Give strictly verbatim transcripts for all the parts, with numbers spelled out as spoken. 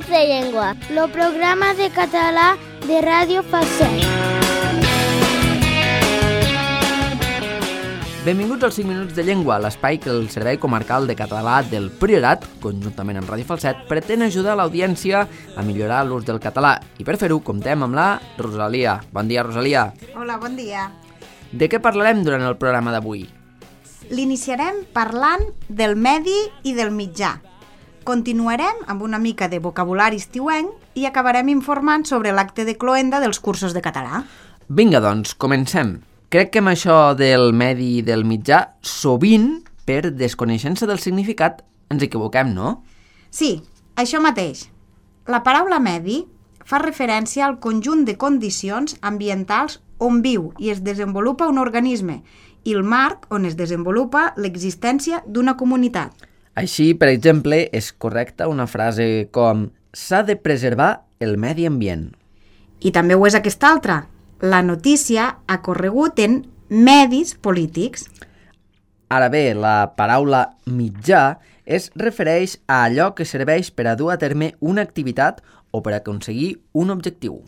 minuts de llengua, el programa de català de Ràdio Falset. Benvinguts als cinc minuts de llengua, l'espai que el Servei Comarcal de Català del Priorat, conjuntament amb Ràdio Falset, pretén ajudar l'audiència a millorar l'ús del català. I per fer-ho, comptem amb la Rosalia. Bon dia, Rosalia. Hola, bon dia. De què parlarem durant el programa d'avui? L'iniciarem parlant del medi i del mitjà. Continuarem amb una mica de vocabulari estiuenc i acabarem informant sobre l'acte de cloenda dels cursos de català. Vinga, doncs, comencem. Crec que amb això del medi i del mitjà, sovint, per desconeixença del significat, ens equivoquem, no? Sí, això mateix. La paraula medi fa referència al conjunt de condicions ambientals on viu i es desenvolupa un organisme i el marc on es desenvolupa l'existència d'una comunitat. Així, per exemple, és correcta una frase com «s'ha de preservar el medi ambient». I també ho és aquesta altra. La notícia ha corregut en medis polítics. Ara bé, la paraula mitjà es refereix a allò que serveix per a dur a terme una activitat o per aconseguir un objectiu.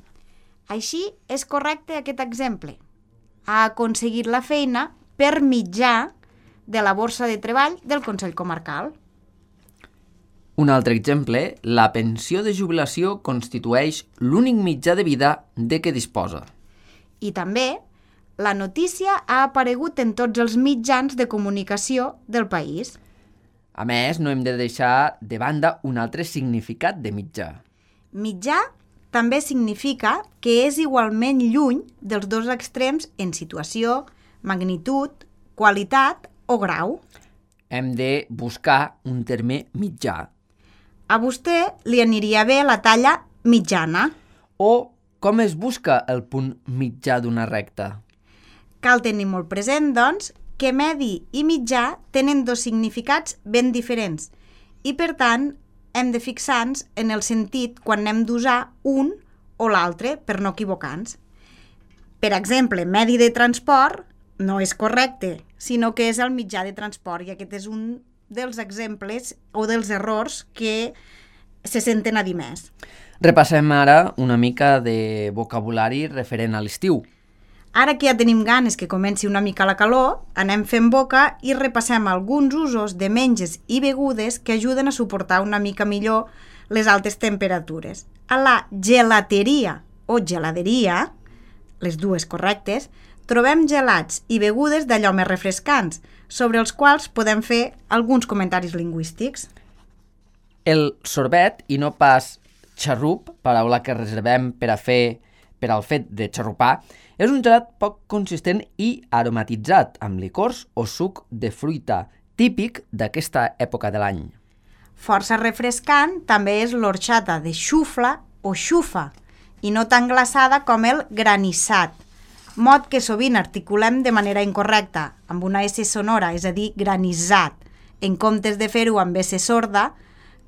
Així és correcte aquest exemple. Ha aconseguit la feina per mitjà de la borsa de treball del Consell Comarcal. Un altre exemple, la pensió de jubilació constitueix l'únic mitjà de vida de què disposa. I també, la notícia ha aparegut en tots els mitjans de comunicació del país. A més, no hem de deixar de banda un altre significat de mitjà. Mitjà també significa que és igualment lluny dels dos extrems en situació, magnitud, qualitat o grau. Hem de buscar un terme mitjà. A vostè li aniria bé la talla mitjana. O com es busca el punt mitjà d'una recta? Cal tenir molt present, doncs, que medi i mitjà tenen dos significats ben diferents i, per tant, hem de fixar-nos en el sentit quan hem d'usar un o l'altre per no equivocar-nos. Per exemple, medi de transport no és correcte, sinó que és el mitjà de transport i aquest és un dels exemples o dels errors que se senten a dir més. Repassem ara una mica de vocabulari referent a l'estiu. Ara que ja tenim ganes que comenci una mica la calor, anem fent boca i repassem alguns usos de menges i begudes que ajuden a suportar una mica millor les altes temperatures. A la gelateria o geladeria, les dues correctes, trobem gelats i begudes d'allò més refrescants, sobre els quals podem fer alguns comentaris lingüístics. El sorbet, i no pas xarrup, paraula que reservem per a fer per al fet de xarrupar, és un gelat poc consistent i aromatitzat, amb licors o suc de fruita, típic d'aquesta època de l'any. Força refrescant també és l'orxata de xufla o xufa, i no tan glaçada com el granissat, mot que sovint articulem de manera incorrecta, amb una S sonora, és a dir, granissat, en comptes de fer-ho amb S sorda,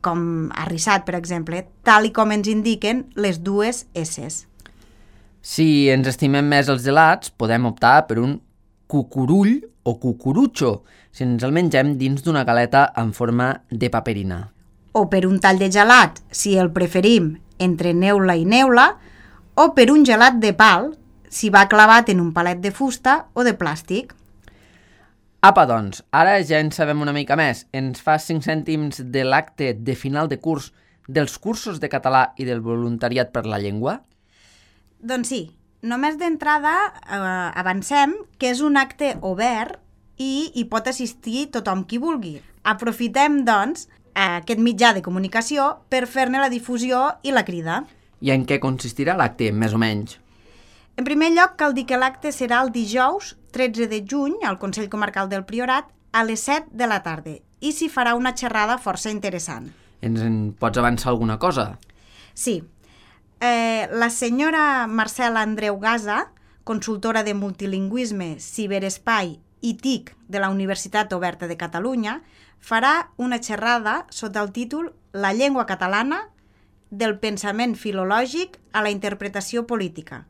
com arrissat, per exemple, tal i com ens indiquen les dues S's. Si ens estimem més els gelats, podem optar per un cucurull o cucurutxo, si ens el mengem dins d'una galeta en forma de paperina. O per un tall de gelat, si el preferim entre neula i neula, o per un gelat de pal, si va clavat en un palet de fusta o de plàstic. Apa, doncs, ara ja en sabem una mica més. Ens fa cinc cèntims de l'acte de final de curs dels cursos de català i del voluntariat per la llengua? Doncs sí, només d'entrada eh, avancem que és un acte obert i hi pot assistir tothom qui vulgui. Aprofitem, doncs, aquest mitjà de comunicació per fer-ne la difusió i la crida. I en què consistirà l'acte, més o menys? En primer lloc, cal dir que l'acte serà el dijous tretze de juny al Consell Comarcal del Priorat a les set de la tarda i s'hi farà una xerrada força interessant. Ens en pots avançar alguna cosa? Sí. Eh, la senyora Marcela Andreu Gasa, consultora de multilingüisme, ciberespai i T I C de la Universitat Oberta de Catalunya, farà una xerrada sota el títol La llengua catalana, del pensament filològic a la interpretació política,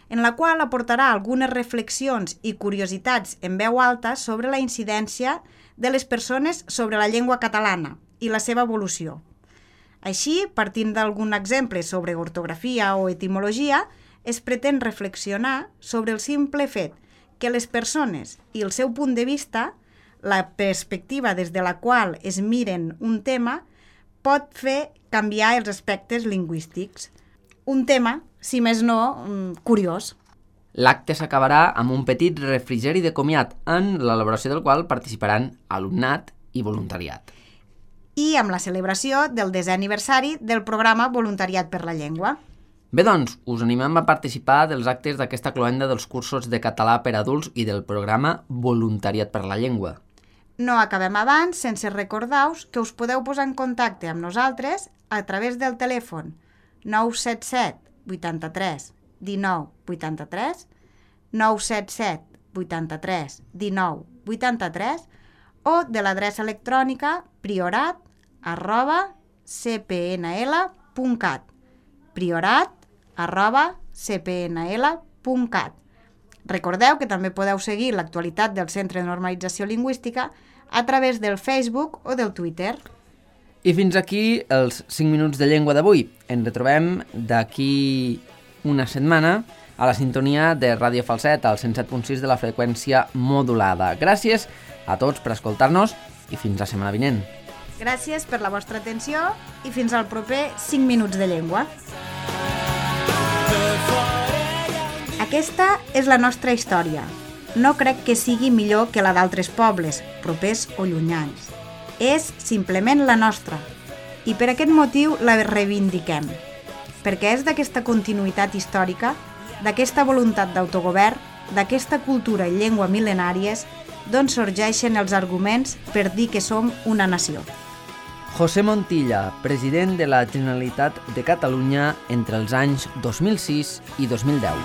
en la qual aportarà algunes reflexions i curiositats en veu alta sobre la incidència de les persones sobre la llengua catalana i la seva evolució. Així, partint d'algun exemple sobre ortografia o etimologia, es pretén reflexionar sobre el simple fet que les persones i el seu punt de vista, la perspectiva des de la qual es miren un tema, pot fer canviar els aspectes lingüístics. Un tema, si més no, curiós. L'acte s'acabarà amb un petit refrigeri de comiat, en l'elaboració del qual participaran alumnat i voluntariat. I amb la celebració del desè aniversari del programa Voluntariat per la Llengua. Bé, doncs, us animem a participar dels actes d'aquesta cloenda dels cursos de català per adults i del programa Voluntariat per la Llengua. No acabem abans sense recordar-vos que us podeu posar en contacte amb nosaltres a través del telèfon nou set set vuitanta-tres dinou vuitanta-tres, nou set set vuitanta-tres dinou vuitanta-tres o de l'adreça electrònica priorat arroba c p n l punt cat, priorat arroba c p n l punt cat. Recordeu que també podeu seguir l'actualitat del Centre de Normalització Lingüística a través del Facebook o del Twitter. I fins aquí els cinc minuts de llengua d'avui. Ens retrobem d'aquí una setmana a la sintonia de Ràdio Falset al cent set punt sis de la freqüència modulada. Gràcies a tots per escoltar-nos i fins la setmana vinent. Gràcies per la vostra atenció i fins al proper cinc minuts de llengua. Aquesta és la nostra història. No crec que sigui millor que la d'altres pobles, propers o llunyans. És simplement la nostra, i per aquest motiu la reivindiquem, perquè és d'aquesta continuïtat històrica, d'aquesta voluntat d'autogovern, d'aquesta cultura i llengua mil·lenàries, d'on sorgeixen els arguments per dir que som una nació. José Montilla, president de la Generalitat de Catalunya entre els anys dos mil sis i dos mil deu.